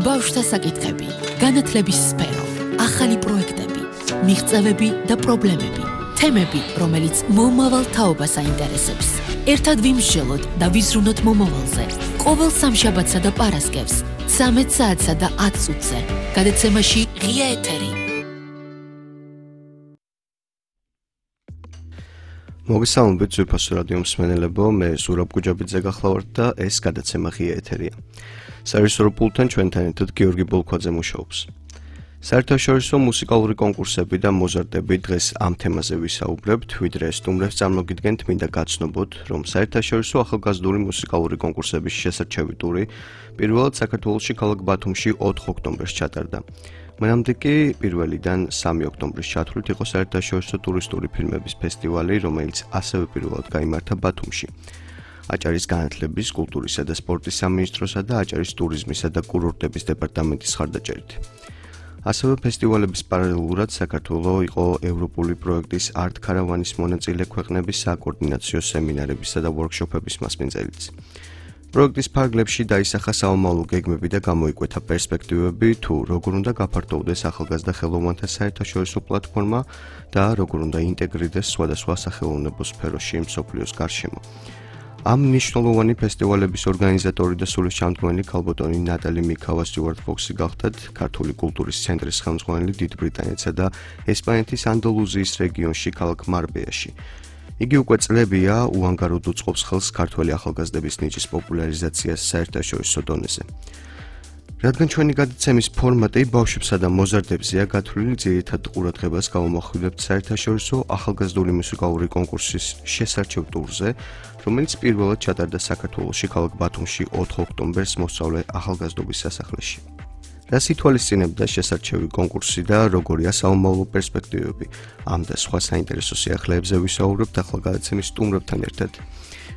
ბავშვთა საკითხები, განათლების სფერო, ახალი პროექტები, მიღწევები და პრობლემები, თემები, რომელიც მომავალ თაობას აინტერესებს. ერთად ვიმსჯელოთ და ვიზრუნოთ მომავალზე. ყოველ სამშაბათსა და პარასკევს, 13 საათსა და 10 წუთზე. გადაცემაში ღია ეთერი. მოგესალმებით ძვირფასო რადიო მსმენელებო, მე ზურაბ გუჯაბიძე გახლავართ და ეს გადაცემა ღია ეთერია. საერთაშორისო პულტთან ჩვენთან ერთად გიორგი ბოლქვაძე მუშაობს. საერთაშორისო მუსიკალური კონკურსები და მოზარდები დღეს ამ თემაზე ვისაუბრებთ, ვიდრე სტუმრებს წარმოგიდგენთ, მინდა გაცნობოთ, რომ საერთაშორისო ახალგაზრდული მუსიკალური კონკურსების შესარჩევი ტური პირველად საქართველოში ქალაქ ბათუმში 4 ოქტომბერს ჩატარდა. მანამდე კი 1-დან 3 ოქტომბრის ჩათვლით იყო საერთაშორისო ტურისტული ფილმების ფესტივალი, რომელიც ასევე პირველად გაიმართა ბათუმში. აჭარის განათლების, კულტურისა და სპორტის სამინისტროსა და აჭარის ტურიზმისა და კურორტების დეპარტამენტის მხარდაჭერით. ასევე ფესტივალების პარალელურად საქართველოს იყო ევროპული პროექტის Art Caravan-ის მონაწილე ქვეყნების საკოორდინაციო სემინარებისა და ვორქშოპების მასპინძელიც. პროექტის ფარგლებში დაისახა საომავლო გეგმები და გამოიკვეთა პერსპექტივები, თუ როგორ უნდა გაფართოვდეს ახალგაზრდა ხელოვანთა საერთაშორისო პლატფორმა და როგორ უნდა ინტეგრირდეს სხვადასხვა სახელოვნებო სფეროში მსოფლიოს გარშემო. ამ მნიშვნელოვანი ფესტივალების ორგანიზატორი და სულისჩამდგმელი ქალბატონი ნატალი მიქავა სტიუარტ ფოქსი გახდათ ქართული კულტურის ცენტრის ხელმძღვანელი დიდ ბრიტანეთსა და ესპანეთის ანდალუზიის რეგიონში ქალაქ მარბეაში. იგი უკვე წლებია უანგაროდ უწყობს ხელს ქართველი ახალგაზრდების ნიჭის პოპულარიზაციას საერთაშორისო დონეზე. რადგან ჩვენი გადაცემის ფორმატი ბავშვებსა და მოზარდებზეა გათვლილი, ძირითად ყურადღებას გავამახვილებთ საერთაშორისო ახალგაზრდული მუსიკალური კონკურსის შესარჩევ ტურზე, რომელიც პირველად ჩატარდა საქართველოში ქალაქ ბათუმში 4 ოქტომბერს მოსწავლე ახალგაზრდობის სასახლეში. რას ითვალისწინებდა შესარჩევი კონკურსი და როგორია საომავლო პერსპექტივები? ამ და სხვა საინტერესო სიახლეებზე ვისაუბრებთ ახლა გადაცემის სტუმრებთან ერთად.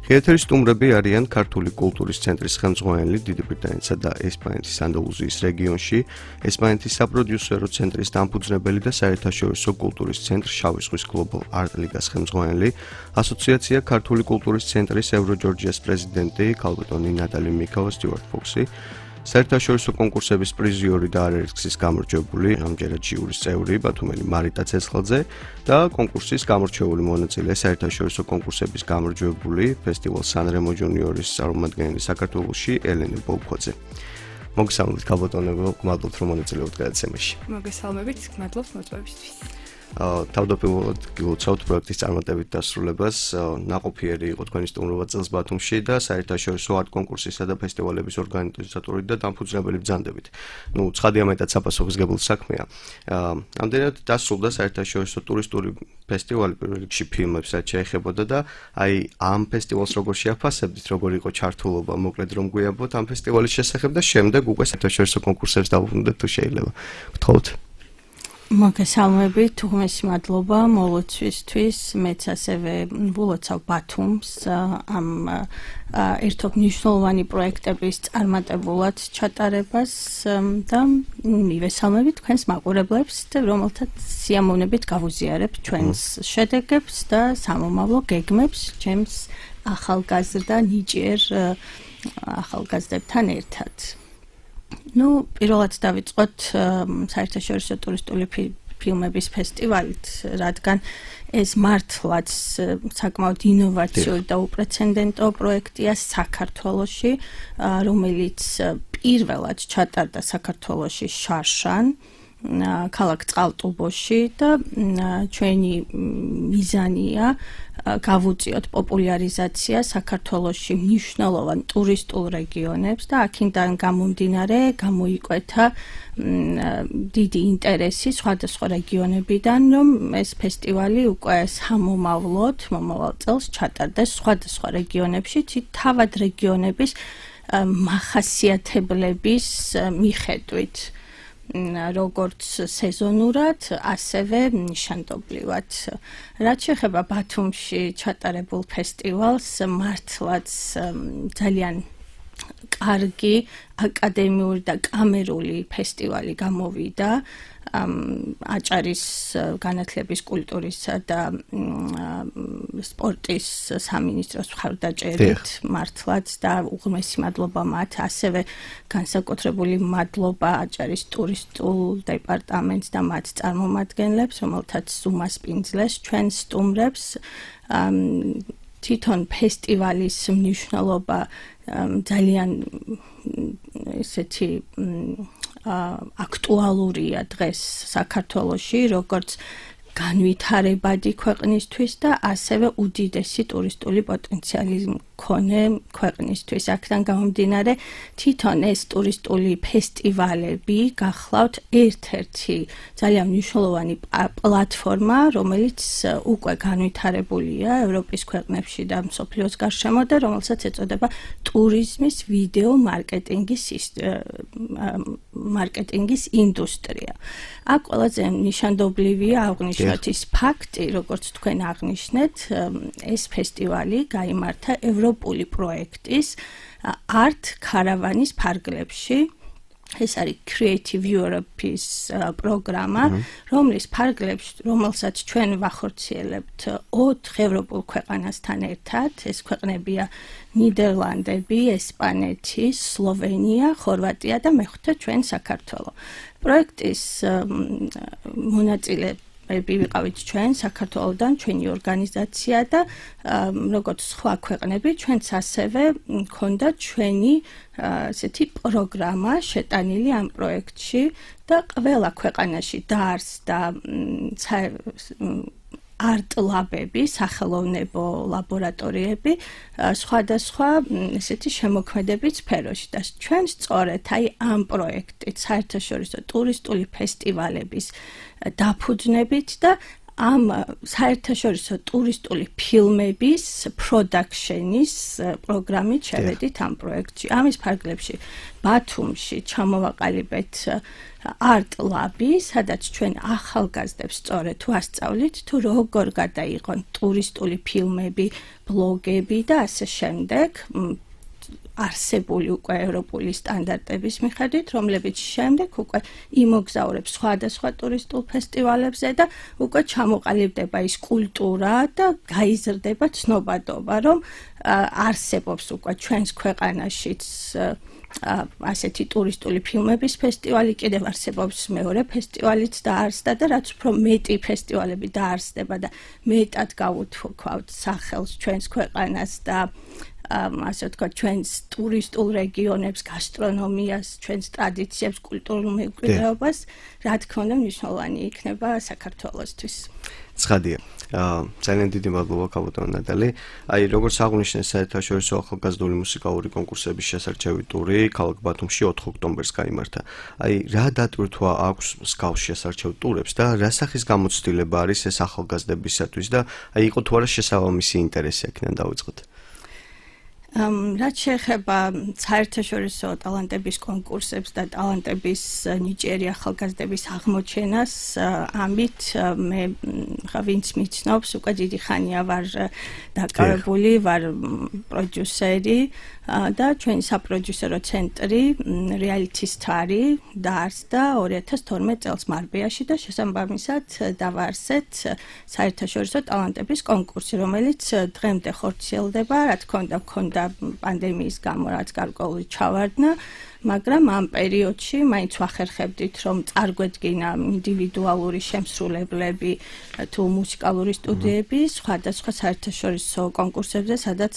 ღიათერის სტუმრები არიან ქართული კულტურის ცენტრის ხელმძღვანელი დიდი ბრიტანეთსა და ესპანეთის ანდალუზიის რეგიონში, ესპანეთის საპროდიუსერო ცენტრის დამფუძნებელი და საერთაშორისო კულტურის ცენტრ შავი ზღვის Global Art ლიგას ხელმძღვანელი, ასოციაცია ქართული კულტურის ცენტრის ევროჯორჯიას პრეზიდენტი ქალბატონი ნატალი მიქავა სტიუარტ ფოქსი, საერთაშორისო კონკურსების პრიზიორი და არაერთგზის გამარჯვებული, ამჯერად ჟიურის წევრი ბათუმელი მარიტა ცეცხლაძე და კონკურსის გამორჩეული მონაწილე საერთაშორისო კონკურსების გამარჯვებული ფესტივალ სანრემო ჯუნიორის წარმომადგენელი საქართველოში ელენე ბოლქვაძე. მოგესალმებით ქალბატონებო, გმადლობთ რომ მონაწილეობთ გადაცემაში. მოგესალმებით, გმადლობთ მოწვევისთვის. თავდაპირველად გილოცავთ პროექტის წარმატებით დასრულებას. ნაყოფიერი იყო თქვენი სტუმრობა წელს ბათუმში და საერთაშორისო არტ კონკურსისა და ფესტივალების ორგანიზატორი და დამფუძნებელი ბრძანდებით. ცხადია მეტად საპასუხისმგებლო საქმეა. ამდენად დასრულდა საერთაშორისო ტურისტული ფესტივალი პირველ რიგში ფილმებს რაც შეეხებოდა და ამ ფესტივალს როგორ შეაფასებდით, როგორ იყო ჩართულობა, მოკლედ რომ გვიამბოთ ამ ფესტივალის შესახებ და შემდეგ უკვე საერთაშორისო კონკურსებს დავუბრუნდეთ თუ შეიძლება. გთხოვთ. მოგესალმებით, უღმესი მადლობა მოლოცვისთვის, მეც ასევე ვილოცავ ბათუმს ამ ერთობ მნიშვნელოვანი პროექტების წარმატებულად ჩატარებას და მივესალმებით თქვენს მაყურებლებს, რომელთაც სიამოვნებით გავუზიარებთ ჩვენს შედეგებს და სამომავლო გეგმებს ჩემს ახალგაზრდა ნიჭიერ ახალგაზრდებთან ერთად. პირველად დავიწყოთ საერთაშორისო ტურისტული ფილმების ფესტივალით, რადგან ეს მართლაც საკმაოდ ინოვაციური და უპრეცედენტო პროექტია საქართველოში, რომელიც პირველად ჩატარდა საქართველოში შარშან, ქალაქ წყალტუბოში და ჩვენი მიზანია გავუწიოთ პოპულარიზაცია საქართველოში მნიშვნელოვან ტურისტულ რეგიონებს და აქედან გამომდინარე გამოიკვეთა დიდი ინტერესი სხვადასხვა რეგიონებიდან, რომ ეს ფესტივალი უკვე სამომავლოდ მომავალ წელს ჩატარდეს სხვადასხვა რეგიონებში, თავად რეგიონების მახასიათებლების მიხედვით. როგორც სეზონურად, ასევე ნიშანდობლივად. რაც შეეხება ბათუმში ჩატარებულ ფესტივალს, მართლაც ძალიან კარგი აკადემიური და კამერული ფესტივალი გამოვიდა. აჭარის განათლების, კულტურისა და სპორტის სამინისტროს მხარდაჭერით მართლაც და უღრმესი მადლობა მათ, ასევე განსაკუთრებული მადლობა აჭარის ტურისტულ დეპარტამენტს და მათ წარმომადგენლებს, რომელთაც უმასპინძლეს ჩვენ სტუმრებს. თვითონ ფესტივალის მნიშვნელობა ძალიან ესეთი აქტუალურია დღეს საქართველოში, როგორც განვითარებადი ქვეყნისთვის და ასევე უდიდესი ტურისტული პოტენციალი მქონე ქვეყნისთვის. აქედან გამომდინარე, თვითონ ეს ტურისტული ფესტივალები გახლავთ ერთ-ერთი ძალიან მნიშვნელოვანი პლატფორმა, რომელიც უკვე განვითარებულია ევროპის ქვეყნებში და მსოფლიოს გარშემო და რომელსაც ეწოდება ტურიზმის ვიდეო მარკეტინგის ინდუსტრია. აქ ყველაზე ნიშანდობლივია აღნიშნოთ ის ფაქტი, როგორც თქვენ აღნიშნეთ, ეს ფესტივალი გაიმართა ევროპული პროექტის Art Caravans ფარგლებში. ეს არის Creative Europe-ის პროგრამა, რომლის ფარგლებში, რომელსაც ჩვენ ვახორციელებთ 4 ევროპულ ქვეყანასთან ერთად. ეს ქვეყნებია ნიდერლანდები, ესპანეთი, სლოვენია, ხორვატია და მეხუთე ჩვენ საქართველო. პროექტის მონაწილე ვიყავით ჩვენ საქართველოდან, ჩვენი ორგანიზაცია და როგორც სხვა ქვეყნები, ჩვენც ასევე მქონდა ჩვენი ესეთი პროგრამა შეტანილი ამ პროექტში და ყველა ქვეყანაში დაარსდა არტ-ლაბები, სახელოვნებო ლაბორატორიები, სხვადასხვა ესეთი შემოქმედებით სფეროში და ჩვენ სწორედ ამ პროექტით საერთაშორისო ტურისტული ფესტივალების დაფუძნებით და ამ საერთაშორისო ტურისტული ფილმების პროდაქშენის პროგრამით შევედით ამ პროექტში. ამის ფარგლებში ბათუმში ჩამოვაყალიბეთ არტ-ლაბი, სადაც ჩვენ ახალგაზრდებს სწორედ ვასწავლით თუ როგორ გადაიღონ ტურისტული ფილმები, ბლოგები და ასე შემდეგ. არსებული უკვე ევროპული სტანდარტების მიხედვით, რომლებიც შემდეგ უკვე იმოგზაურებს სხვადასხვა ტურისტულ ფესტივალებზე და უკვე ჩამოყალიბდება ის კულტურა და გაიზრდება ცნობადობა, რომ არსებობს უკვე ჩვენს ქვეყანაშიც ასეთი ტურისტული ფილმების ფესტივალი, კიდევ არსებობს მეორე ფესტივალიც დაარსდა და რაც უფრო მეტი ფესტივალები დაარსდება და მეტად გაუთქვავთ სახელს ჩვენს ქვეყანას და ასე ვთქვათ, ჩვენს ტურისტულ რეგიონებს, გასტრონომიას, ჩვენს ტრადიციებს, კულტურულ მემკვიდრეობას, რა თქმა უნდა, მნიშვნელოვანი იქნება საქართველოსთვის. ცხადია. ძალიან დიდი მადლობა ქალბატონო ნატალი. როგორც აღნიშნეთ, საერთაშორისო ახალგაზრდული მუსიკალური კონკურსების შესარჩევი ტური ქალაქ ბათუმში 4 ოქტომბერს გაიმართა. რა დატვირთვა აქვს მსგავს შესარჩევ ტურებს და რა სახის გამოცდილება არის ეს ახალგაზრდებისათვის და იყო თუ არა შესაბამისი ინტერესი აქედან დავიწყოთ. რაც შეეხება საერთაშორისო ტალანტების კონკურსებს და ტალანტების ნიჭიერი ახალგაზრდების აღმოჩენას, ამით მე ვინც მიცნობს, უკვე დიდი ხანია ვარ დაკავებული, ვარ პროდიუსერი და ჩვენი საპროდიუსერო ცენტრი Reality Star-ი დაარსდა 2012 წელს მარბეაში და შესაბამისად დავაარსეთ საერთაშორისო ტალანტების კონკურსი, რომელიც დღემდე ხორციელდება, რა თქმა უნდა, მქონდა პანდემიის გამო რაც გარკვეული ჩავარდნა, მაგრამ ამ პერიოდში მაინც ვახერხებდით, რომ წარგვედგინა ინდივიდუალური შემსრულებლები თუ მუსიკალური სტუდიები სხვადასხვა საერთაშორისო კონკურსებზე, სადაც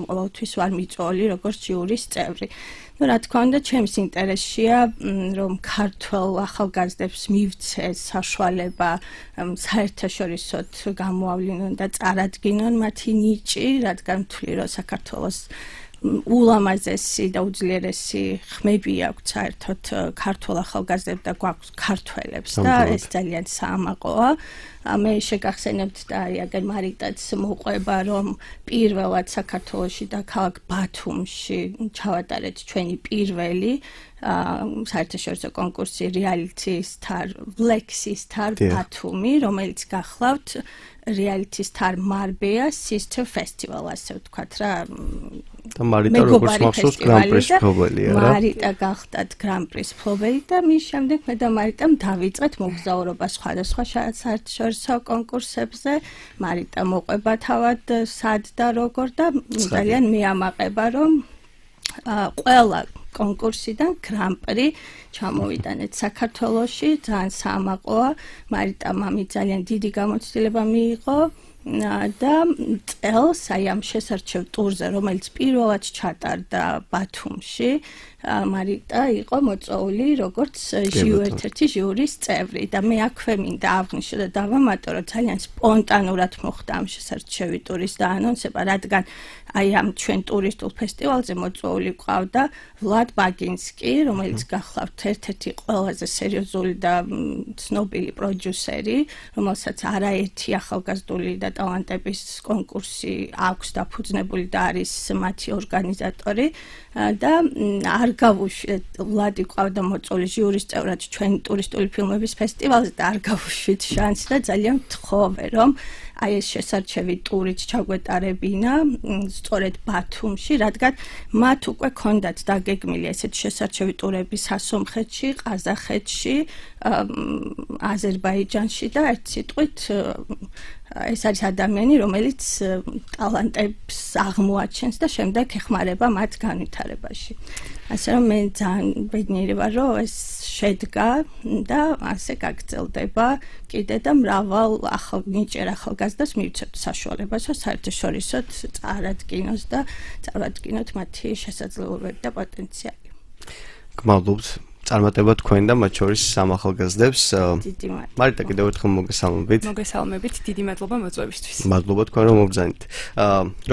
ყოველთვის ვარ მიწვეული როგორც ჟიურის წევრი. რა თქმა უნდა, ჩემს ინტერესშია, რომ ქართველ ახალგაზრდებს მივცეს საშუალება საერთაშორისოდ გამოავლინონ და წარადგინონ მათი ნიჭი, რადგან ვთვლი, რომ საქართველოს ულამაზესი და უძლიერესი ხმები აქვს საერთოდ ქართულ ახალგაზრდებს და გვაქვს ქართველებს და ეს ძალიან საამაყოა. მე შეგახსენებთ და აგერ მარიტაც მოყვება, რომ პირველად საქართველოში და ქალაქ ბათუმში ჩავატარეთ ჩვენი პირველი საერთაშორისო კონკურსი Reality Star, Flexi Star ბათუმი, რომელიც გახლავთ Reality Star Marbella Sister Festival, ასე ვთქვათ რა, და მარიტა როგორც მახსოვს გრან-პრის მფლობელია რა. მარიტა გახდათ გრან-პრის მფლობელი და მის შემდეგ მე და მარიტამ დავიწყეთ მოგზაურობა სხვადასხვა საერთაშორისო კონკურსებზე. მარიტა მოყვება თავად სად და როგორ და ძალიან მეამაყება რომ ყველა კონკურსიდან გრან-პრი ჩამოვიტანეთ საქართველოში, ძალიან საამაყოა. მარიტამ ამით ძალიან დიდი გამოცდილება მიიღო. და წელს აი ამ შესარჩევ ტურზე, რომელიც პირველად ჩატარდა ბათუმში, მარიტა იყო მოწვეული როგორც ერთ-ერთი ჟიურის წევრი და მე აქვე მინდა აღვნიშნო და დავამატო, რომ ძალიან სპონტანურად მოხდა ამ შესარჩევი ტურის დაანონსება, რადგან აი ამ ჩვენ ტურისტულ ფესტივალზე მოწვეული ყავდა ვლად ბაგინსკი, რომელიც გახლავთ ერთ-ერთი ყველაზე სერიოზული და ცნობილი პროდიუსერი, რომელსაც არაერთი ახალგაზრდული და ტალანტების კონკურსი აქვს დაფუძნებული და არის მათი ორგანიზატორი და არ გავუშვით ვლადი ყავდა მოწვეული ჟიურის წევრად ჩვენი ტურისტული ფილმების ფესტივალზე და არ გავუშვით შანსი და ძალიან ვთხოვე რომ აი ეს შესარჩევი ტურით ჩაგვეტარებინა სწორედ ბათუმში, რადგან მათ უკვე ქონდათ დაგეგმილი ესეთი შესარჩევი ტურები სასომხეთში, ყაზახეთში, აზერბაიჯანში და ერთ სიტყვით ეს არის ადამიანი, რომელიც ტალანტებს აღმოაჩენს და შემდეგ ეხმარება მათ განვითარებაში. ასე რომ მე ძალიან ბედნიერი ვარ, რომ ეს შედგა და ასე გაგრძელდება კიდე და მრავალ ნიჭიერ ახალგაზრდას მივცემთ საშუალებას, რომ საერთაშორისოდ წარადგინოს და წარადგინოთ მათი შესაძლებლობები და პოტენციალი. გმადლობთ. წარმატება თქვენ და მათ შორის სამ ახალგაზრდებს. დიდი მადლობა. მარიტა კიდევ ერთხელ მოგესალმებით. მოგესალმებით, დიდი მადლობა მოწვევისთვის. მადლობა თქვენ რომ მობრძანით.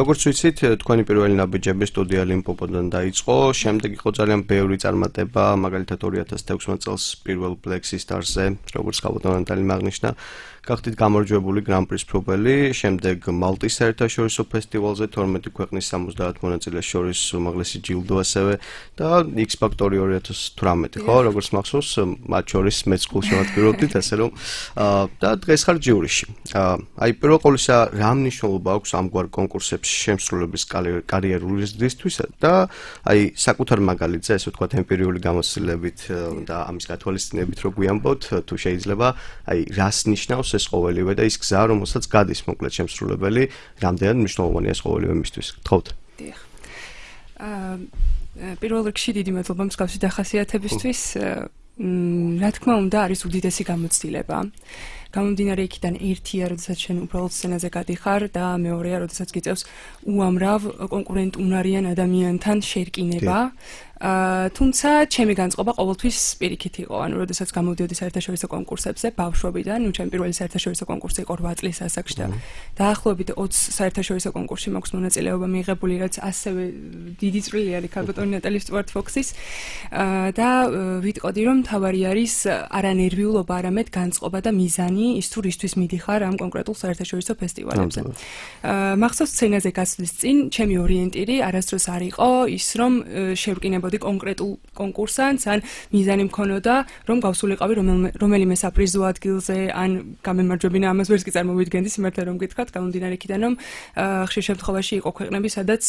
როგორც ვიცით, თქვენი პირველი ნაბიჯები სტუდია ლიმპოპოდან დაიწყო, შემდეგ იყო ძალიან ბევრი წარმატება, მაგალითად 2016 წელს პირველ Black Stars-ზე, როგორც ხალხოვნად აღნიშნა, გახდით გამარჯვებული გრან-პრის მფლობელი, შემდეგ მალტის საერთაშორისო ფესტივალზე 12 ქვეყნის 70 მონაწილეს შორის უმაღლესი ჯილდო ასევე და X Factor 2018, ხო, როგორც მახსოვს, მათ შორის მეც გულშემატკივრობდით, ასე რომ და დღეს ხარ ჯიურიში. აი პირველ ყოვლისა რა მნიშვნელობა აქვს ამგვარ კონკურსებს შემსრულების კარიერულისთვის და აი საკუთარ მაგალითზე, ესე ვთქვათ, ემპირიული გამოცდილებით და ამის გათვალისწინებით რო გვიამბოთ, თუ შეიძლება, აი რას ნიშნავს ეს ყოველივე და ის გზა, რომელსაც გადის მოკლედ შემსრულებელი, რამდენად მნიშვნელოვანია ეს ყოველივე მისთვის. გთხოვთ. დიახ. პირველ რიგში დიდი მადლობა მსგავსი დახასიათებისთვის. რა თქმა უნდა, არის უდიდესი გამოცდილება. გამომდინარე იქიდან ერთია, როდესაც შენ უბრალოდ სცენაზე გადიხარ და მეორეა, როდესაც გიწევს უამრავ კონკურენტუნარიან ადამიანთან შერკინება. თუმცა ჩემი განწყობა ყოველთვის პირიქით იყო, ანუ როდესაც გამოვდიოდი საერთაშორისო კონკურსებზე ბავშვობიდან, ჩემი პირველი საერთაშორისო კონკურსი იყო 8 წლის ასაკში და დაახლოებით 20 საერთაშორისო კონკურსში მაქვს მონაწილეობა მიიღებული, რაც ასევე დიდი წვლილი არის ქალბატონი ნატალი სტუარტ-ფოქსის და ვიტყოდი, რომ თავარი არის არა ნერვიულობა, არამედ განწყობა და მიზანი ის თუ რისთვის მიდიხარ ამ კონკრეტულ საერთაშორისო ფესტივალებზე. მახსოვს სცენაზე გასვლის წინ ჩემი ორიენტირი არასდროს არ იყო ის, რომ შევრკინებოდი კონკრეტულ კონკურსანტს, ან მიზანი მქონოდა, რომ გავსულიყავი რომელიმე საპრიზო ადგილზე, ან გამემარჯვებინა, ამას ვერც კი წარმოვიდგენდი, სიმართლე რომ გითხრათ, გამომდინარე იქიდან, რომ ხშირ შემთხვევაში იყო ქვეყნები, სადაც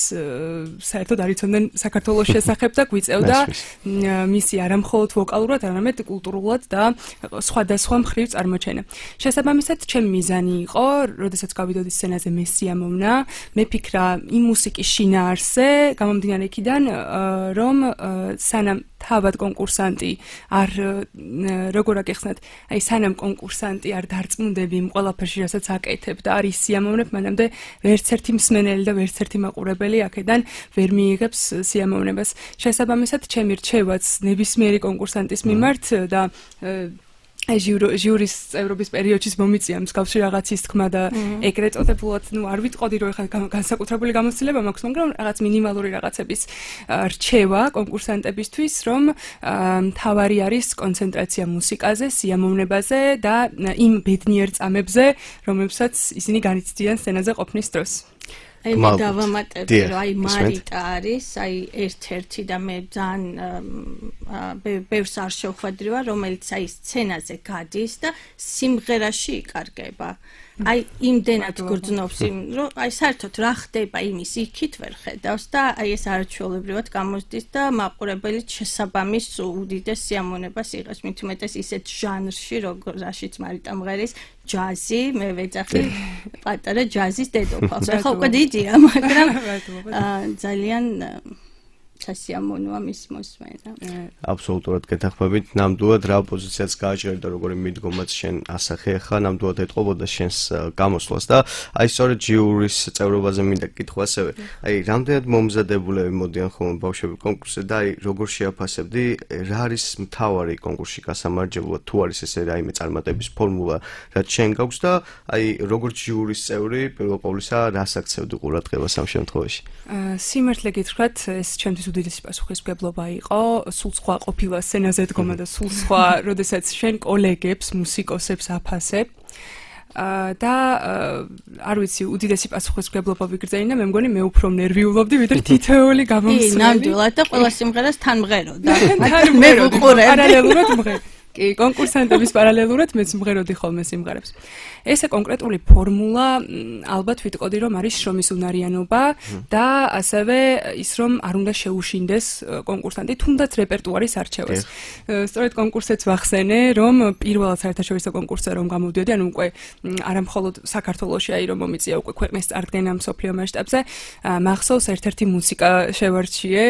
საერთოდ არ იცოდნენ საქართველოს შესახებ და გვიწევდა მისი არა მხოლოდ ვოკალურად, არამედ კულტურულად და სხვადასხვა მხრივ წარმოჩენა. შესაბამისად, ჩემი მიზანი იყო, როდესაც გავიდოდი სცენაზე მე სიამოვნა, მეფიქრა იმ მუსიკის შინაარსზე, გამომდინარე იქიდან, რომ სანამ თავად კონკურსანტი არ როგორ აკეხსნათ, აი სანამ კონკურსანტი არ დარწმუნდები იმ ყველაფერში, რასაც აკეთებ და არის სიამოვნებ, მანამდე ვერც ერთი მსმენელი და ვერც ერთი მაყურებელი აქედან ვერ მიიღებს სიამოვნებას. შესაბამისად, ჩემი რჩევაც ნებისმიერი კონკურსანტის მიმართ და ჟიურის წევრობის პერიოდში მომიწია მსგავსი რაღაცის თქმა და ეგრეთ წოდებულად, არ ვიტყოდი, რომ ეხლა განსაკუთრებული გამოცდილება მაქვს, მაგრამ რაღაც მინიმალური რაღაცების რჩევა კონკურსანტებისთვის, რომ მთავარი არის კონცენტრაცია მუსიკაზე, სიამოვნებაზე და იმ ბედნიერ წამებზე, რომლებსაც ისინი განიცდიან სცენაზე ყოფნის დროს. აი მე დავამატებდი, რომ აი მარიტა არის, აი ერთ-ერთი და მე ძალიან ბევრს არ შევხვედრივარ, რომელიც აი სცენაზე გადის და სიმღერაში იკარგება. აი იმდენად გრძნობს იმ რომ აი საერთოდ რა ხდება იმის იქით ვერ ხედავს და აი ეს არაჩვეულებრივად გამოსდის და მაყურებელი შესაბამის უდიდეს სიამოვნებას იღებს მით უმეტეს ისეთ ჟანრში რაშიც მარიტა მღერის ჯაზი მე ვეძახი პატარა ჯაზის დედოფალს ახლა უკვე დიდია მაგრამ ძალიან სასიამოვნოა მის მოსმენა. აბსოლუტურად გეთანხმებით. ნამდვილად რა პოზიციაც გააჭირე და როგორი მიდგომაც შენ ასახე ახლა ნამდვილად ეთყობოდა შენს გამოსვლას და აი სწორედ ჯიურის წევრობაზე მინდა კითხვა ასევე. აი რამდენად მომზადებულები მოდიან ხოლმე ბავშვები კონკურსზე და აი როგორ შეაფასებდი რა არის მთავარი კონკურსში გასამარჯებლად თუ არის ესე რაიმე წარმატების ფორმულა რაც შენ გაქვს და აი როგორც ჯიურის წევრი პირველ ყოვლისა რას აქცევდი ყურადღებას ამ შემთხვევაში? სიმართლე გითხრათ ეს ჩემთვის უდიდესი პასუხისმგებლობა იყო, სულ სხვა ყოფილა სცენაზე დგომა და სულ სხვა, როდესაც შენ კოლეგებს, მუსიკოსებს აფასებ. და არ ვიცი, უდიდესი პასუხისმგებლობა ვიგრძელინა, მე მგონი მე უფრო ნერვიულობდი, ვიდრე თითოეული გამომცემელი. ნამდვილად და ყველა სიმღერას თან მღეროდა. მე ვუყურებდი. პარალელურად მღერ. კი, კონკურსანტების პარალელურად მეც მღეროდი ხოლმე სიმღერებს. ესე კონკრეტული ფორმულა ალბათ ვიტყოდი რომ არის შრომის უნარიანობა და ასევე ის რომ არ უნდა შეუშინდეს კონკურსანტი თუნდაც რეპერტუარის არჩევას. სწორედ კონკურსეც ვახსენე რომ პირველად საერთაშორისო კონკურსზე რომ გამოვდიოდი, ანუ უკვე არა მხოლოდ საქართველოში აი რომ მომიწია უკვე ქვეყნის წარდგენა მსოფლიო მასშტაბზე, მახსოვს ერთ-ერთი მუსიკა შევარჩიე,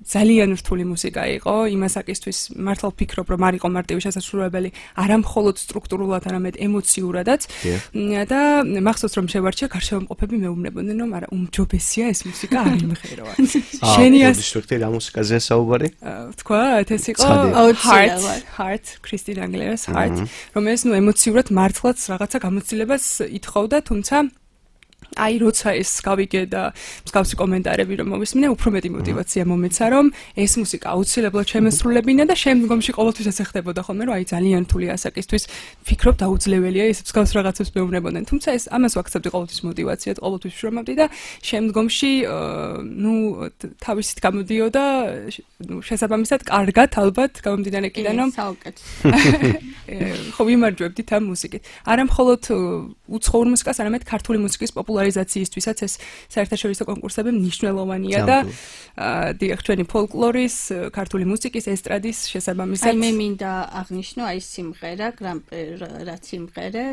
ძალიან რთული მუსიკა იყო, იმასაკისთვის მართლა ვფიქრობ რომ არ იყო მარტივი შესაძლებელი არა მხოლოდ სტრუქტურულად, არამედ ემოციურადაც და მახსოვს რომ შევარჩიე გარშემოყოფები მეუბნებოდნენ რომ არა უმჯობესია ეს მუსიკა არ იმღეროა. შენი ისრიქთი რა მუსიკაზეა საუბარი? თქვათ ეს იყო Heart, კრისტინ აგილერას Heart, რომელიც ნუ ემოციურად მართლაც რაღაცა გამოცდილებას ითხოვდა, თუმცა აი როცა ეს გავიგე და მსგავსი კომენტარები რომ მოვისმინე, უფრო მეტი мотиваცია მომეცა რომ ეს მუსიკა აუცილებლად შემესრულებინა და შემდგომში ყოველთვის ესე ხდებოდა ხოლმე რომ აი ძალიან რთული ასაკისთვის ფიქრობ დაუძლებელია ეს მსგავს რაღაცებს მეუბნებოდნენ. თუმცა ეს ამას ვაქცევდი ყოველთვის мотиваციად, ყოველთვის შრომობდი და შემდგომში ნუ თავისით გამოდიოდა შესაბამისად კარგად ალბათ გამომდინარე იქიდან რომ ხო ვიმარჯვებდით ამ მუსიკით. არა მხოლოდ უცხოურ მუსიკას, არამედ ქართული მუსიკის პოპულარიზაციისთვისაც ეს საერთაშორისო კონკურსები მნიშვნელოვანია და დიახ ჩვენი ფოლკლორის, ქართული მუსიკის, ესტრადის შესაბამისად. აი მე მინდა აღნიშნო აი სიმღერა, რაც სიმღერა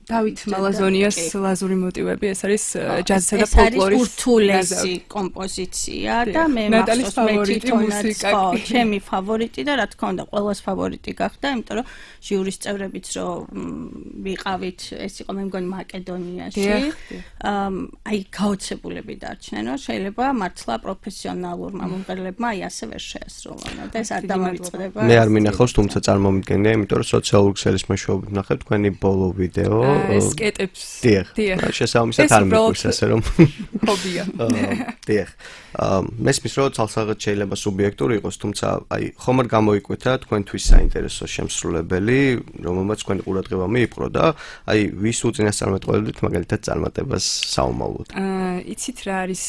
დავით მალაზონიას ლაზური მოტივები, ეს არის ჯაზისა და ფოლკლორის ურთულესი კომპოზიცია და მე მახსოვს მე თვითონაც ჩემი ფავორიტი და რა თქმა უნდა ყველას ფავორიტი გახდა, იმიტომ რომ ჟიურის წევრებიც რომ ვიყავით, ეს იყო მე მგონი მაკედონიაში. აი გაოცებულები დარჩნენ, რომ შეიძლება მართლა პროფესიონალურმა მომღერლებმა აი ასე ვერ შეასრულონ და ეს არ დამოიწყდება. მე არ მინახავს, თუმცა წარმომიდგენია, იმიტომ რომ სოციალური ქსელის მეშვეობით ვნახებ თქვენი ბოლო ვიდეო ეს კეტებს. დიახ. შესაბამისად არ მიყვარს ასე რომ ჰობია. დიახ. მესმის რომ თალსაღად შეიძლება სუბიექტური იყოს, თუმცა აი ხომ არ გამოიკვეთა თქვენთვის საინტერესო შემსრულებელი, რომელმაც თქვენი ყურადღება მიიპყრო და აი ვის უწინასწარმეტყველებდით მაგალითად წარმატებას საომავლოდ. იცით რა არის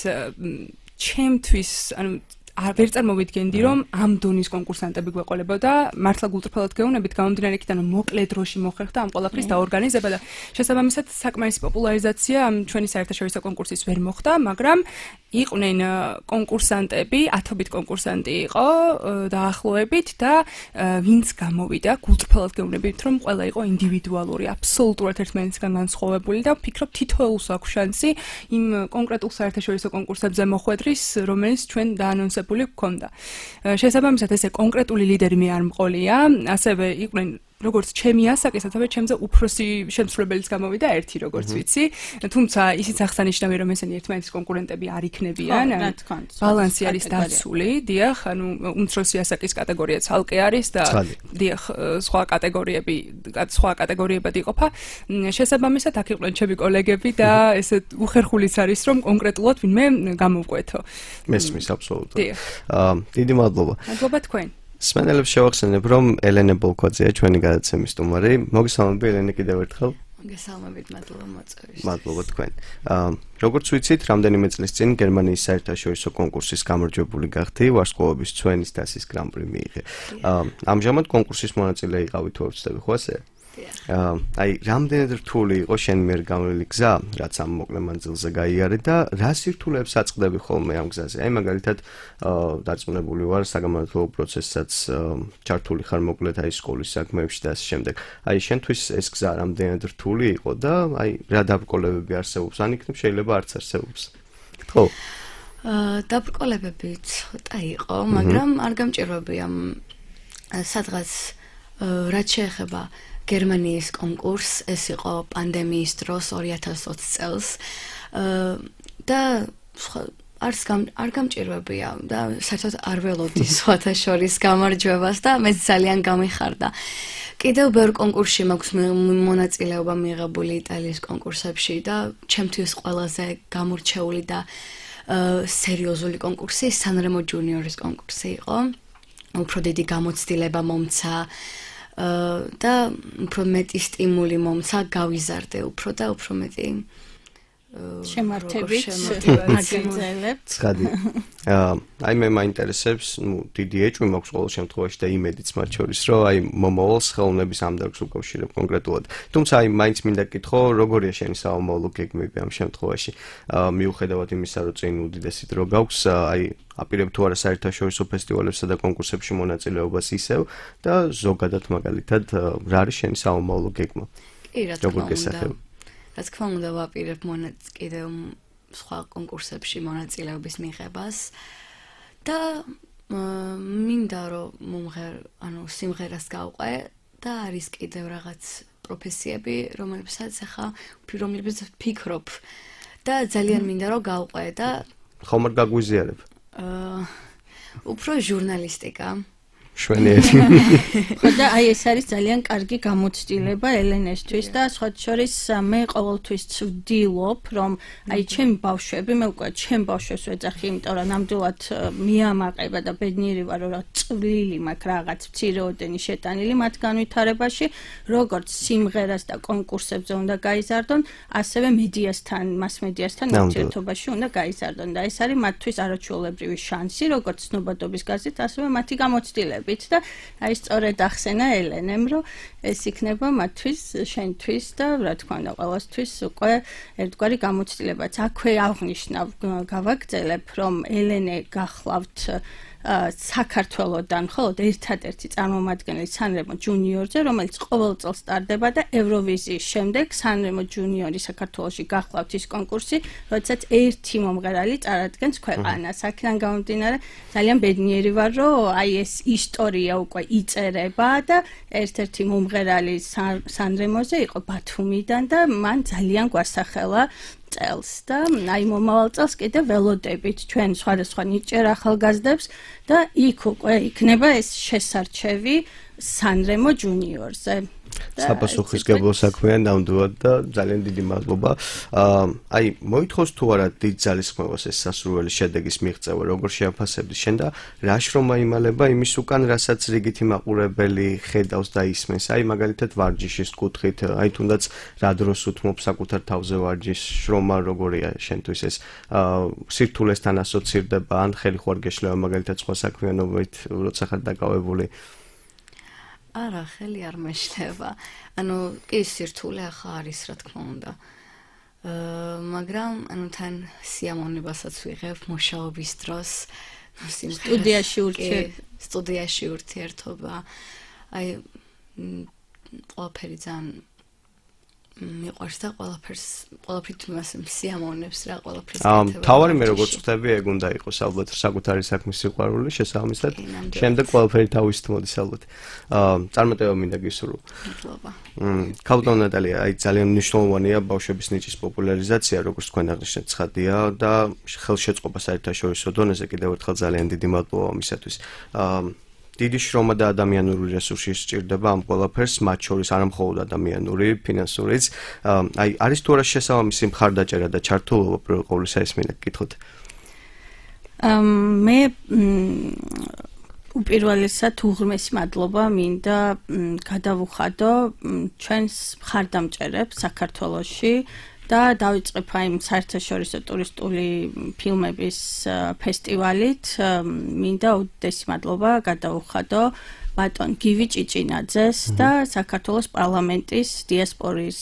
ჩემთვის, ანუ ვერ წარმოვიდგენდი რომ ამ დონის კონკურსანტები გვეყოლებოდა, მართლა გულწრფელად გეუბნებით, გამომდინარე იქიდან რომ მოკლე დროში მოხერხდა ამ ყველაფრის დაორგანიზება და შესაბამისად საკმაისი პოპულარიზაცია ამ ჩვენი საერთაშორისო კონკურსის ვერ მოხდა, მაგრამ იყვნენ კონკურსანტები, ათობით კონკურსანტი იყო დაახლოებით და ვინც გამოვიდა, გულწრფელად გეუბნებით რომ ყველა იყო ინდივიდუალური, აბსოლუტურად ერთმანეთისგან განსხვავებული და ვფიქრობ თითოეულს აქვს შანსი იმ კონკრეტულ საერთაშორისო კონკურსებზე მოხვედრის, რომელიც ჩვენ დაანონსებული გქონდა. შესაბამისად ესე კონკრეტული ლიდერი მე არ მყოლია, ასევე იყვნენ როგორც ჩემი ასაკის, ასევე ჩემზე უფროსი შემსრულებელიც გამოვიდა ერთი, როგორც ვიცი. თუმცა ისიც აღსანიშნავია, რომ ესენი ერთმანეთის კონკურენტები არ იქნებიან. ბალანსი არის დაცული, დიახ, ანუ უმცროსი ასაკის კატეგორია ცალკე არის და დიახ, სხვა კატეგორიებად იყოფა. შესაბამისად, აქ იყვნენ ჩემი კოლეგები და ესე უხერხულიც არის, რომ კონკრეტულად ვინმე გამოვკვეთო. მესმის აბსოლუტურად. დიდი მადლობა. მადლობა თქვენ. სმენელებს შევახსენებ, რომ ელენე ბოლქვაძეა ჩვენი გადაცემის სტუმარი. მოგესალმები ელენე კიდევ ერთხელ. მოგესალმებით, მადლობა მოწვევისთვის. მადლობა თქვენ. როგორც ვიცით, რამდენიმე წლის წინ გერმანიის საერთაშორისო კონკურსის გამარჯვებული გახდი, ვარსკვლავების ცვენის დასის გრან-პრი მიიღე. ამჟამად კონკურსის მონაწილე იყავით თუ არ ვცდები, ხო ასე? აი, რამდენად რთული იყო შენ მიერ გამოვლილი გზა, რაც ამ მოკლე მანძილზე გაიარე და რა სირთულეებს აწყდები ხოლმე ამ გზაზე? აი, მაგალითად, დარწმუნებული ვარ, საგამართლებლო პროცესსაც ჩართული ხარ მოკლედ აი სკოლის საქმეებში და ასე შემდეგ. აი, შენთვის ეს გზა რამდენად რთული იყო და აი, რა დაბრკოლებები არსებობს? ან იქნებ შეიძლება არც არსებობს. ხო. დაბრკოლებები ცოტა იყო, მაგრამ არ გამჭირვებია სადღაც რაც შეეხება გერმანიის კონკურსს, ეს იყო პანდემიის დროს 2020 წელს და არ გამჭირვებია და საერთოდ არ ველოდი სხვათა შორის გამარჯვებას და მეც ძალიან გამიხარდა. კიდევ ბევრ კონკურსში მაქვს მონაწილეობა მიღებული იტალიის კონკურსებში და ჩემთვის ყველაზე გამორჩეული და სერიოზული კონკურსი სანრემო ჯუნიორის კონკურსი იყო. უფრო დიდი გამოცდილება მომცა და უფრო მეტი სტიმული მომცა, გავიზარდე უფრო და უფრო მეტი შემართებით აგრძელებთ. ცხადი. აი მე მაინტერესებს, დიდი ეჭვი მაქვს ყოველ შემთხვევაში და იმედიც მათ შორის, რომ აი მომავალ ხელოვნების ამ დარგს უკავშირებ კონკრეტულად. თუმცა აი მაინც მინდა გითხო, როგორია შენი საომავლო გეგმები ამ შემთხვევაში? მიუხედავად იმისა, რომ წინ უდიდესი დრო გაქვს, აი აპირებ თუ არა საერთაშორისო ფესტივალებსა და კონკურსებში მონაწილეობას ისევ და ზოგადად მაგალითად რა არის შენი საომავლო გეგმა? კი, რა თქმა უნდა. გესახებ? რა თქმა უნდა, ვაპირებ კიდევ სხვა კონკურსებში მონაწილეობის მიღებას და მინდა რომ სიმღერას გავყვე და არის კიდევ რაღაც პროფესიები, რომლებსაც ფიქრობ და ძალიან მინდა რომ გავყვე და ხომ არ გაგვიზიარებ? უფრო ჟურნალისტიკა. შვენიერი. ხო და აი ეს არის ძალიან კარგი გამოცდილება ელენესთვის და სხვა შორის მე ყოველთვის ვდილობ რომ აი ჩემი ბავშვები მე უკვე ჩემ ბავშვებს ვეძახი იმიტომ რომ ნამდვილად მიამაყება და ბედნიერი ვარ რომ წვლილი მაქვს რაღაც მცირეოდენი შეტანილი მათ განვითარებაში როგორც სიმღერას და კონკურსებზე უნდა გაიზარდონ ასევე მედიასთან მასმედიასთან ურთიერთობაში უნდა გაიზარდონ და ეს არის მათთვის არაჩვეულებრივი შანსი როგორც ცნობადობის გაზეთ ასევე მათი გამოცდილება და აი სწორედ ახსენა ელენემ რომ ეს იქნება მათთვის, შენთვის და რა თქმა უნდა ყველასთვის უკვე ერთგვარი გამოცდილებაც. აქვე აღნიშნავ გავაგრძელებ რომ ელენე გახლავთ საქართველოსდან მხოლოდ ერთადერთი წარმომადგენელი სანრემო ჯუნიორზე, რომელიც ყოველ წელს ტარდება და ევროვიზიის შემდეგ სანრემო ჯუნიორი საქართველოში გახლავთ ის კონკურსი, როდესაც ერთი მომღერალი წარადგენს ქვეყანას. აქედან გამომდინარე, ძალიან ბედნიერი ვარ, რომ აი ეს ისტორია უკვე იწერება და ერთ-ერთი მომღერალი სანრემოზე იყო ბათუმიდან და მან ძალიან გვასახელა წელს და აი მომავალ წელს კიდე ველოდებით ჩვენ სხვადასხვა ნიჭიერ ახალგაზრდებს და იქ უკვე იქნება ეს შესარჩევი სანრემო ჯუნიორზე. საპასუხისმგებლო საქმეა ნამდვილად და ძალიან დიდი მადლობა. აი მოითხოვს თუ არა დიდ ძალისხმევას ეს სასურველი შედეგის მიღწევა, როგორ შეაფასებდი შენ და რა შრომა იმალება იმის უკან, რასაც რიგითი მაყურებელი ხედავს და ისმენს. აი მაგალითად ვარჯიშის კუთხით, აი თუნდაც რა დროს უთმობ საკუთარ თავზე ვარჯიშს, შრომა როგორია შენთვის ეს სირთულესთან ასოცირდება ან ხელი ხوار გეშლება მაგალითად სხვა საქმიანობით, როცა ხარ დაკავებული? არა, ხელი არ მეშლება. ანუ კი სირთულე ახლა არის, რა თქმა უნდა. მაგრამ ანუ თან სიამოვნებასაც ვიღებ მუშაობის დროს, სტუდიაში ურთიერთობა. აი ყველაფერი ძალიან მიყვარს და ყველაფრით მას სიამოვნებს რა ყველაფერს გეთება. თავარი მე როგორც ხვდები, ეგ უნდა იყოს ალბათ საკუთარი საქმის სიყვარული, შესაბამისად, შემდეგ ყველაფერი თავისით მოდის ალბათ. წარმატება მინდა გისურვო. მადლობა. ქალბატონ ნატალია, აი ძალიან მნიშვნელოვანია ბავშვების ნიჭის პოპულარიზაცია, როგორც თქვენ აღნიშნეთ, ცხადია და ხელშეწყობა საერთაშორისო დონეზე კიდევ ერთხელ ძალიან დიდი მადლობა ამისათვის. დიდი შრომა და ადამიანური რესურსი სჭირდება ამ ყველაფერს, მათ შორის არა მხოლოდ ადამიანური, ფინანსურიც. აი არის თუ არა შესაბამისი მხარდაჭერა და ჩართულობა პირველ ყოვლისა ეს მინდა გკითხოთ. მე უპირველესად უღრმესი მადლობა მინდა გადავუხადო ჩვენს მხარდამჭერებს საქართველოში და დავიწყებ აი საერთაშორისო ტურისტული ფილმების ფესტივალით. მინდა უდიდესი მადლობა გადავუხადო ბატონ გივი ჭიჭინაძეს და საქართველოს პარლამენტის დიასპორის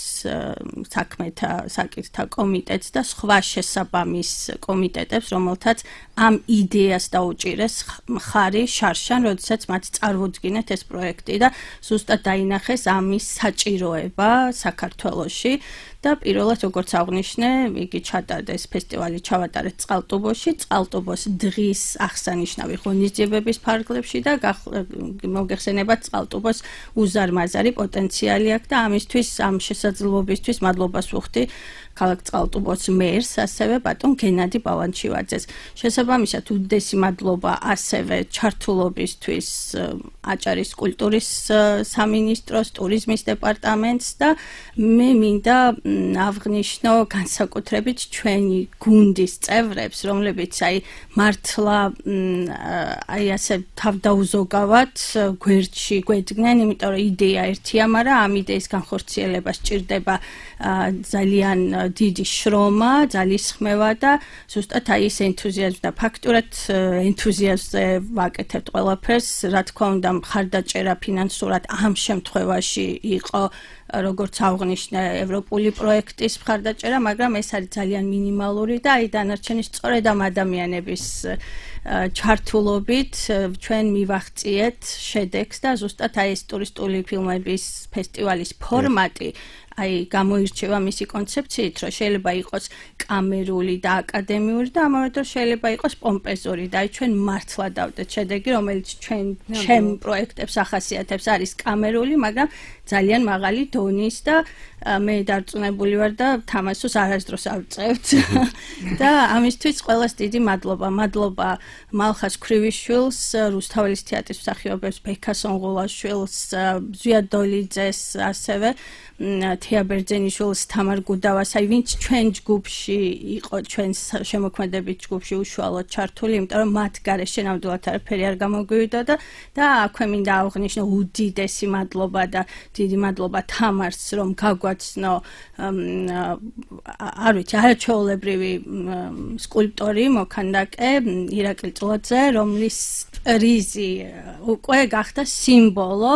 საქმეთა საკითხთა კომიტეტს და სხვა შესაბამის კომიტეტებს, რომელთაც ამ იდეას დაუჭირეს მხარი შარშან, როდესაც მათ წარმოუდგინეთ ეს პროექტი და ზუსტად დაინახეს ამის საჭიროება საქართველოში. და პირველად როგორც აღნიშნე, იგი ჩატარდა ეს ფესტივალი ჩავატარეთ წყალტუბოში, წყალტუბოს დღის აღსანიშნავი ღონისძიებების ფარგლებში და მოგეხსენებათ წყალტუბოს უზარმაზარი პოტენციალი აქვს და ამისთვის ამ შესაძლებლობისთვის მადლობას ვუხდი ქალაქ წყალტუბოს მერს, ასევე ბატონ გენადი ბალანჩივაძეს. შესაბამისად, უდიდესი მადლობა ასევე ჩართულობისთვის აჭარის კულტურის სამინისტროს, ტურიზმის დეპარტამენტს და მე მინდა აღნიშნო განსაკუთრებით ჩვენი გუნდის წევრებს, რომლებიც მართლა ასე თავდაუზოგავად გვერდში გვედგნენ, იმიტომ რომ იდეა ერთია, მაგრამ ამ იდეის განხორციელება სჭირდება ძალიან დიდი შრომა, ძალისხმევა და ზუსტად ეს ენთუზიაზმი და ფაქტურად ენთუზიაზმზე ვაკეთებთ ყველაფერს, რა თქმა უნდა, მხარდაჭერა ფინანსურად ამ შემთხვევაში იყო როგორც აღნიშნე ევროპული პროექტის მხარდაჭერა, მაგრამ ეს არის ძალიან მინიმალური და დანარჩენი სწორედ ამ ადამიანების ჩართულობით ჩვენ მივახციეთ შედეგს და ზუსტად ეს ტურისტული ფილმების ფესტივალის ფორმატი გამოირჩევა მისი კონცეფციით, რომ შეიძლება იყოს კამერული და აკადემიური და ამავე დროს შეიძლება იყოს პომპეზური და ჩვენ მართლა დავდეთ შედეგი, რომელიც ჩვენ პროექტებს ახასიათებს, არის კამერული, მაგრამ ძალიან მაღალი დონის და მე დარწმუნებული ვარ და თამაშს არასდროს ავწევთ და ამისთვის ყველას დიდი მადლობა. მადლობა მალხას ქრივიშვილს, რუსთაველის თეატრის მსახიობებს, ბექა სონღულაშვილს, ზვია დოლიძეს, ასევე თეა ბერძენიშვილს, თამარ გუდავას, ვინც ჩვენ ჯგუფში იყო, ჩვენ შემოქმედებით ჯგუფში უშუალოდ ჩართული, იმიტომ რომ მათ გარეშე ნამდვილად არაფერი არ გამოგვივიდა და აქვე მინდა აღვნიშნო უდიდესი მადლობა და დიდი მადლობა თამარს, რომ გაგვაცნო არ ვიცი, არაჩვეულებრივი სკულპტორი მოქანდაკე ირაკლი წლოძე, რომლის პრიზი უკვე გახდა სიმბოლო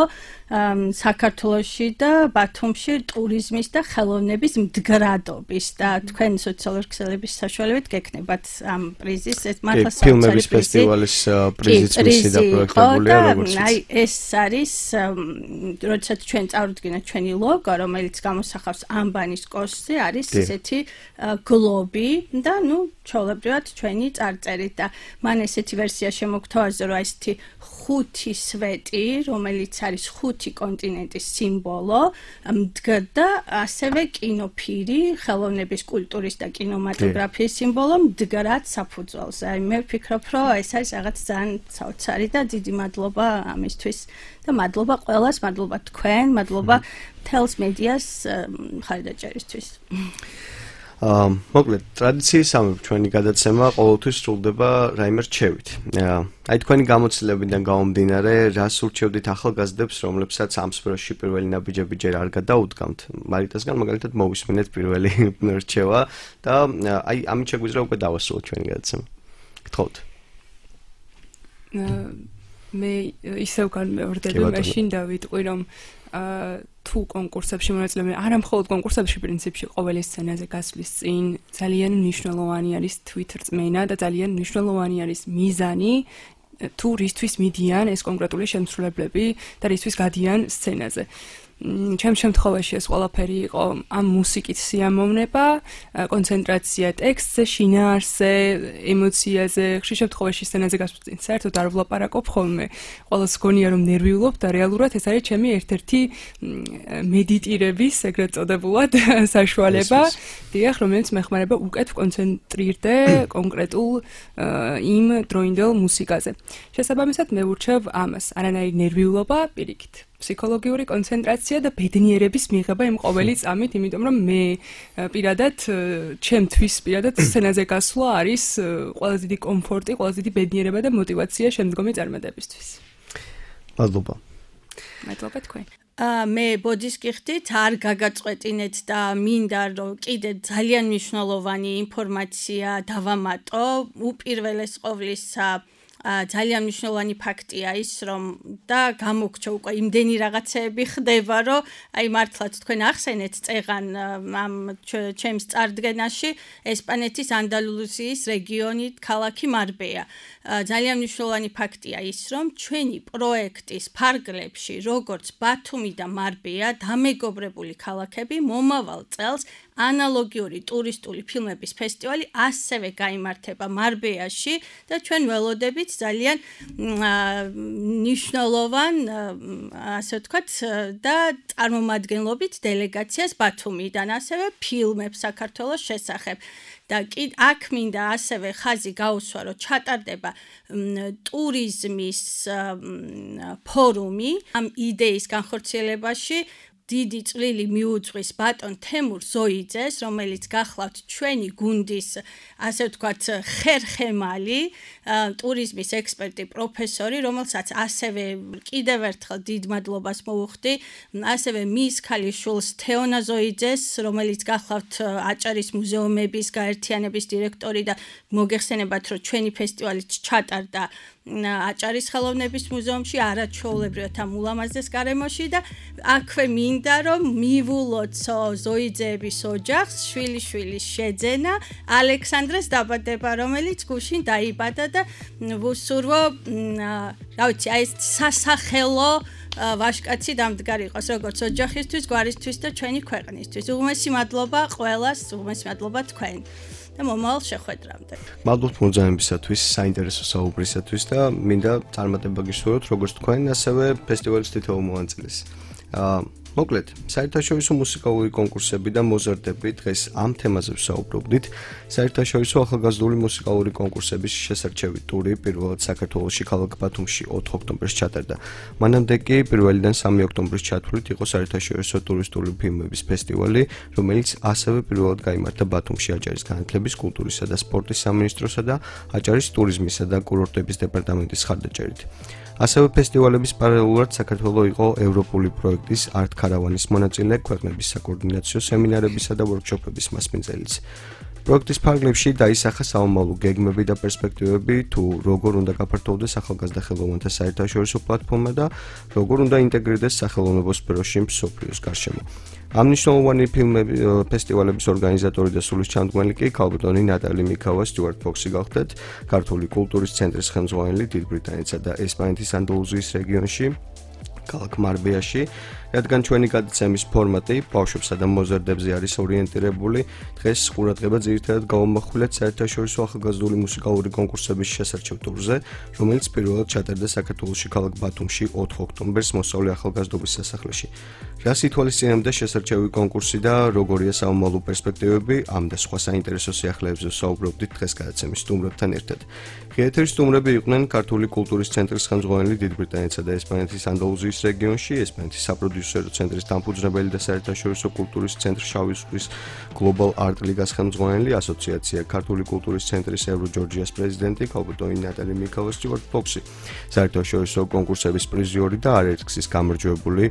საქართველოში და ბათუმში ტურიზმის და ხელოვნების მდგრადობის და თქვენ სოციალური ქსელების საშუალებით გექნებათ ამ პრიზის ეს მართლა ფილმების ფესტივალის პრიზიც მისი და პროექტებულია როგორც ეს არის როდესაც ჩვენ წავდგინეთ ჩვენი ლოგო რომელიც გამოსახავს ამბანის კოშკზე არის ესეთი გლობი და ჩვეულებრივად ჩვენი წარწერით და მან ესეთი ვერსია შემოგთავაზა რომ ესეთი ხუთი სვეტი რომელიც არის ხუთი კონტინენტის სიმბოლო მდგრდა ასევე კინოფირი ხელოვნების კულტურის და კინემატოგრაფიის სიმბოლო მდგრად საფუძველზე. მე ვფიქრობ რომ ეს არის რაღაც ძალიან საოცარი და დიდი მადლობა ამისთვის და მადლობა ყველას, მადლობა თქვენ, მადლობა თელს მედიას მხარდაჭერისთვის. მოკლედ ტრადიციისამებრ ჩვენი გადაცემა ყოველთვის სრულდება რაიმე რჩევით. თქვენი გამოცდილებიდან გამომდინარე, რას ურჩევდით ახალგაზრდებს, რომლებსაც ამ სფეროში პირველი ნაბიჯები ჯერ არ გადაუდგამთ? მარიტასგან მაგალითად მოვისმინეთ პირველი რჩევა და ამით შეგვიძლია უკვე დავასრულოთ ჩვენი გადაცემა. გთხოვთ. მე ისევ განმეორდები მაშინ დავიტყვი რომ თუ კონკურსებში მონაწილეობენ, არა მხოლოდ კონკურსებში პრინციპში ყოველი სცენაზე გასვლის წინ ძალიან მნიშვნელოვანი არის თვით რწმენა და ძალიან მნიშვნელოვანი არის მიზანი თუ რისთვის მიდიან ეს კონკრეტული შემსრულებლები და რისთვის გადიან სცენაზე. ჩემ შემთხვევაში ეს ყველაფერი იყო ამ მუსიკით სიამოვნება, კონცენტრაცია ტექსტზე, შინაარსზე, ემოციაზე, ხშირ შემთხვევაში სცენაზე გასვლის წინ საერთოდ არ ვლაპარაკობ ხოლმე. ყველას გონია რომ ნერვიულობ და რეალურად ეს არის ჩემი ერთ-ერთი მედიტირების ეგრეთ წოდებულად საშუალება, დიახ, რომელიც მეხმარება უკეთ ვკონცენტრირდე კონკრეტულ იმ დროინდელ მუსიკაზე. შესაბამისად მე ვურჩევ ამას, არანაირი ნერვიულობა, პირიქით. ფსიქოლოგიური კონცენტრაცია და ბედნიერების მიღება იმ ყოველი წამით, იმიტომ რომ მე პირადად ჩემთვის პირადად სცენაზე გასვლა არის ყველაზე დიდი კომფორტი, ყველაზე დიდი ბედნიერება და мотиваცია შემდგომი წარმატებისთვის. მადლობა. მადლობა თქვენ. მე ბოდის გიხდით, არ გაგაწყვეტინეთ და მინდა რომ კიდე ძალიან მნიშვნელოვანი ინფორმაცია დავამატო, უპირველეს ყოვლისა ძალიან მნიშვნელოვანი ფაქტია ის, რომ და გამოგჩა უკვე იმდენი რაღაცეები ხდება, რომ აი მართლაც თქვენ ახსენეთ წეღან ამ ჩემს წარდგენაში ესპანეთის ანდალუსიის რეგიონი ქალაქი მარბეა. ძალიან მნიშვნელოვანი ფაქტია ის, რომ ჩვენი პროექტის ფარგლებში, როგორც ბათუმი და მარბეა, დამეგობრებული ქალაქები მომავალ წელს ანალოგიური ტურისტული ფილმების ფესტივალი ასევე გაიმართება მარბეაში და ჩვენ ველოდებით ძალიან მნიშვნელოვან, ასე ვთქვათ, და წარმომადგენლობით დელეგაციას ბათუმიდან, ასევე ფილმებს საქართველოს შესახებ. და აქ მინდა ასევე ხაზი გაუსვა, რომ ჩატარდება ტურიზმის ფორუმი ამ იდეის განხორციელებაში. დიდი წვლილი მიუძღვის ბატონ თემურ ზოიძეს, რომელიც გახლავთ ჩვენი გუნდის, ასე ვთქვათ, ხერხემალი, ტურიზმის ექსპერტი, პროფესორი, რომელსაც ასევე კიდევ ერთხელ დიდ მადლობას მოვუხდი, ასევე მის ქალიშვილს თეონა ზოიძეს, რომელიც გახლავთ აჭარის მუზეუმების გაერთიანების დირექტორი და მოგეხსენებათ, რომ ჩვენი ფესტივალი ჩატარდა აჭარის ხელოვნების მუზეუმში, არაჩვეულებრივად ამ ულამაზეს გარემოში და აქვე მინდა რომ მივულოთ ზოიძეების ოჯახს, შვილიშვილის შეძენა, ალექსანდრეს დაბადება, რომელიც გუშინ დაიბადა და ვუსურვო, რა ვიცი, აი ეს სასახელო ვაშკაცი დამდგარი იყოს როგორც ოჯახისთვის, გვარისთვის და ჩვენი ქვეყნისთვის. უღმესი მადლობა ყველას, უღმესი მადლობა თქვენ. და მომავალ შეხვედრამდე. მადლობთ მოძაებისათვის, საინტერესო საუბრისათვის და მინდა წარმატება გისურვოთ როგორც თქვენ, ასევე ფესტივალის თითოეულ მონაწილეს. მოკლედ, საერთაშორისო მუსიკალური კონკურსები და მოზარდები დღეს ამ თემაზე ვსაუბრობდით. საერთაშორისო ახალგაზრდული მუსიკალური კონკურსების შესარჩევი ტური პირველად საქართველოში ქალაქ ბათუმში 4 ოქტომბერს ჩატარდა. მანამდე კი 1-დან 3 ოქტომბრის ჩათვლით იყო საერთაშორისო ტურისტული ფილმების ფესტივალი, რომელიც ასევე პირველად გაიმართა ბათუმში აჭარის განათლების, კულტურისა და სპორტის სამინისტროსა და აჭარის ტურიზმისა და კურორტების დეპარტამენტის მხარდაჭერით. ასევე ფესტივალების პარალელურად საქართველოს იყო ევროპული პროექტის არტ ქარავანის მონაწილე, ქვეყნების საკოორდინაციო სემინარებისა და ვორქშოპების მასპინძელიც. პროექტის ფარგლებში დაისახა საომალო გეგმები და პერსპექტივები, თუ როგორ უნდა გაფართოვდეს ახალგაზრდა ხელოვნათა საერთაშორისო პლატფორმა და როგორ უნდა ინტეგრირდეს სახელოვნებო სფეროში მსოფლიოს გარშემო. ამ მნიშვნელოვანი ფესტივალების ორგანიზატორი და სულისჩამდგმელი კი ქალბატონი ნატალი მიქავა სტიუარტ ფოქსი გახდათ, ქართული კულტურის ცენტრის ხელმძღვანელი დიდ ბრიტანეთსა და ესპანეთის ანდალუსიის რეგიონში, ქალაქ მარბეაში, რადგან ჩვენი გადაცემის ფორმატი ბავშვებსა და მოზარდებზე არის ორიენტირებული, დღეს ყურადღება ძირითადად გავამახვილეთ საერთაშორისო ახალგაზრდული მუსიკალური კონკურსების შესარჩევ ტურზე, რომელიც პირველად ჩატარდა საქართველოში ქალაქ ბათუმში 4 ოქტომბერს მოსწავლე ახალგაზრდობის სასახლეში. რას ითვალისწინებდა შესარჩევი კონკურსი და როგორია საომალო პერსპექტივები, ამ და სხვა საინტერესო სიახლეებზე ვსაუბრობდით დღეს გადაცემის სტუმრებთან ერთად. ღიეთერის სტუმრები იყვნენ ქართული კულტურის ცენტრის ხელმძღვანელი დიდ ბრიტანეთსა და ესპანეთის ანდალუსიის რეგიონში, ესპანეთის საპროდიუსერო ცენტრის დამფუძნებელი და საერთაშორისო კულტურის ცენტრ შავი ზღვის გლობალ არტ ლიგას ხელმძღვანელი, ასოციაცია ქართული კულტურის ცენტრის ევროჯორჯიას პრეზიდენტი ქალბატონი ნატალი მიქავა სტიუარტ ფოქსი, საერთაშორისო კონკურსების პრიზიორი და არაერთგზის გამარჯვებული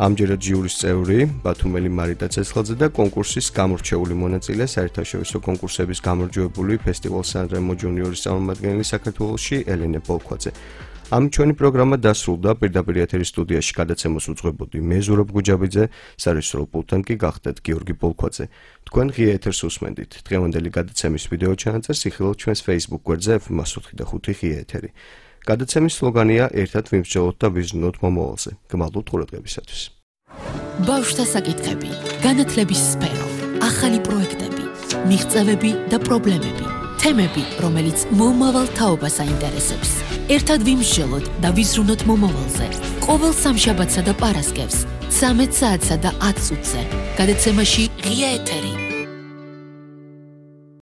ამჯერად ჟიურის წევრი ბათუმელი მარიტა ცეცხლაძე და კონკურსის გამორჩეული მონაწილე საერთაშორისო კონკურსების გამარჯვებული ფესტივალ სან-რემო ჯუნიორის წარმომადგენელი საქართველოში ელენე ბოლქვაძე. ამ ჩვენი პროგრამა დასრულდა, პირდაპირ ეთერის სტუდიაში გადაცემას უძღვებოდი მე ზურაბ გუჯაბიძე, სარეჟისორო პულტთან კი გახდათ გიორგი ბოლქვაძე. თქვენ ღია ეთერს უსმენდით. დღევანდელი გადაცემის ვიდეო ჩანაწერს იხილავთ ჩვენს Facebook გვერდზე F-105 ღია ეთერი. გადაცემის სლოგანია ერთად ვიმსჯელოთ და ვიზრუნოთ მომავალზე. გმადლობთ ყურადღებისათვის. ბავშვთა საკითხები, განათლების სფერო, ახალი პროექტები, მიღწევები და პრობლემები, თემები, რომელიც მომავალ თაობას აინტერესებს. ერთად ვიმსჯელოთ და ვიზრუნოთ მომავალზე. ყოველ სამშაბათსა და პარასკევს 13 საათსა და 10 წუთზე. გადაცემაში ღია ეთერი.